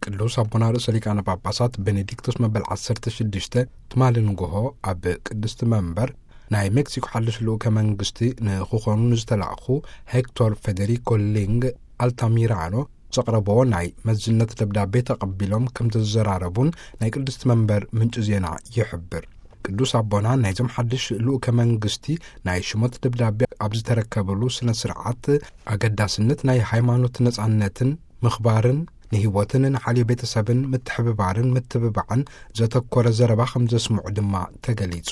ቅዱስ ኣቦና ርእሰ ሊቃነ ጳጳሳት ቤኔዲክቶስ መበል ዓሰርተ ሽዱሽተ ትማሊ ንግሆ ኣብ ቅድስቲ መንበር ናይ ሜክሲኮ ሓድሽ ልኡከ መንግስቲ ንክኾኑ ንዝተላእኹ ሄክቶር ፌዴሪኮ ሊንግ ኣልታሚራኖ ዘቕረብዎ ናይ መዝነት ደብዳቤ ተቐቢሎም ከም ዝተዘራረቡን ናይ ቅድስቲ መንበር ምንጪ ዜና ይሕብር። ቅዱስ ኣቦና ናይዞም ሓድሽ ልኡከ መንግስቲ ናይ ሽሞት ደብዳቤ ኣብ ዝተረከበሉ ስነ ስርዓት ኣገዳስነት ናይ ሃይማኖት ነጻነትን ምኽባርን ንህይወትን ንሓልዮ ቤተሰብን ምትሕብባርን ምትብባዕን ዘተኮረ ዘረባ ከም ዘስምዑ ድማ ተገሊጹ።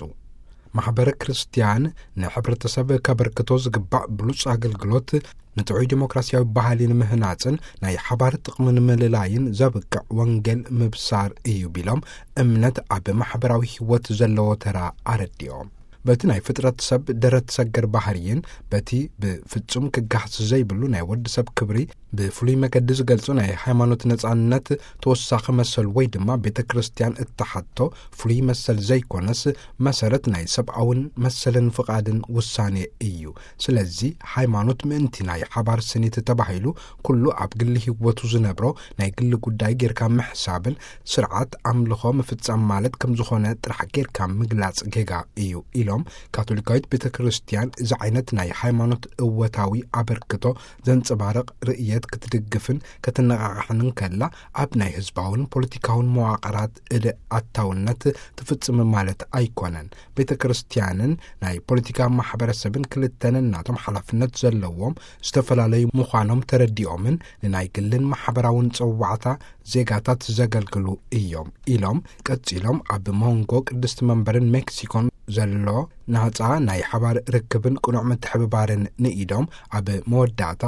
ማሕበረ ክርስትያን ንሕብረተሰብ ከበርክቶ ዝግባእ ብሉጽ ኣገልግሎት ንጥዑይ ዲሞክራሲያዊ ባህሊ ንምህናጽን ናይ ሓባር ጥቕሚ ንምልላይን ዘብቅዕ ወንጌል ምብሳር እዩ ቢሎም፣ እምነት ኣብ ማሕበራዊ ህይወት ዘለዎ ተራ ኣረዲኦም። በቲ ናይ ፍጥረት ሰብ ደረት ሰገር ባህርይን በቲ ብፍጹም ክጋህስ ዘይብሉ ናይ ወዲ ሰብ ክብሪ ብፍሉይ መገዲ ዝገልጹ ናይ ሃይማኖት ነጻነት ተወሳኺ መሰል ወይ ድማ ቤተ ክርስቲያን እተሓቶ ፍሉይ መሰል ዘይኮነስ፣ መሰረት ናይ ሰብኣውን መሰልን ፍቓድን ውሳኔ እዩ። ስለዚ ሃይማኖት ምእንቲ ናይ ሓባር ስኒት ተባሂሉ ኩሉ ኣብ ግሊ ህይወቱ ዝነብሮ ናይ ግሊ ጉዳይ ጌርካ ምሕሳብን ስርዓት ኣምልኾ ምፍጻም ማለት ከም ዝኾነ ጥራሕ ጌርካ ምግላጽ ጌጋ እዩ ኢሎም፣ ካቶሊካዊት ቤተ ክርስቲያን እዚ ዓይነት ናይ ሃይማኖት እወታዊ ኣበርክቶ ዘንጸባርቕ ርእየት ክትድግፍን ከተነቓቕሕን ከላ፣ ኣብ ናይ ህዝባውን ፖለቲካውን መዋቕራት እደ ኣታውነት ትፍጽም ማለት ኣይኮነን። ቤተ ክርስቲያንን ናይ ፖለቲካ ማሕበረሰብን ክልተን እናቶም ሓላፍነት ዘለዎም ዝተፈላለዩ ምዃኖም ተረዲኦምን ንናይ ግልን ማሕበራውን ጸዋዕታ ዜጋታት ዘገልግሉ እዮም ኢሎም፣ ቀጺሎም ኣብ መንጎ ቅድስቲ መንበርን ሜክሲኮን ዘሎ ናጻ ናይ ሓባር ርክብን ቅኑዕ ምትሕብባርን ንኢዶም፣ ኣብ መወዳእታ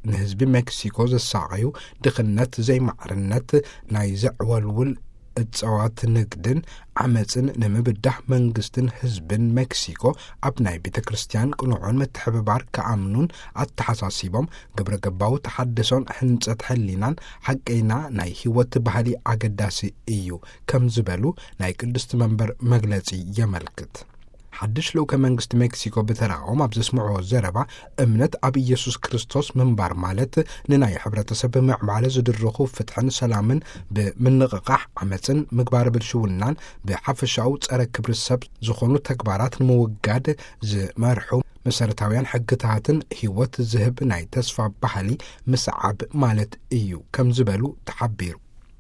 ንህዝቢ ሜክሲኮ ዘሳቐዩ ድኽነት፣ ዘይማዕርነት፣ ናይ ዘዕወልውል እጸዋት ንግድን ዓመጽን ንምብዳህ መንግስትን ህዝብን ሜክሲኮ ኣብ ናይ ቤተ ክርስቲያን ቅኑዕን ምትሕብባር ክኣምኑን ኣተሓሳሲቦም፣ ግብረ ገባዊ ተሓድሶን ሕንጸት ሕሊናን ሓቀይና ናይ ህይወት ባህሊ ኣገዳሲ እዩ ከም ዝበሉ ናይ ቅድስቲ መንበር መግለጺ የመልክት። ሓድሽ ልኡከ መንግስቲ ሜክሲኮ ብተራኦም ኣብ ዘስምዕዎ ዘረባ፣ እምነት ኣብ ኢየሱስ ክርስቶስ ምንባር ማለት ንናይ ሕብረተሰብ ምዕባለ ዝድርኹ ፍትሕን ሰላምን ብምንቕቓሕ ዓመፅን ምግባር ብልሽውናን ብሓፈሻኡ ጸረ ክብሪ ሰብ ዝኾኑ ተግባራት ንምውጋድ ዝመርሑ መሰረታውያን ሕግታትን ህይወት ዝህብ ናይ ተስፋ ባህሊ ምስዓብ ማለት እዩ ከም ዝበሉ ተሓቢሩ።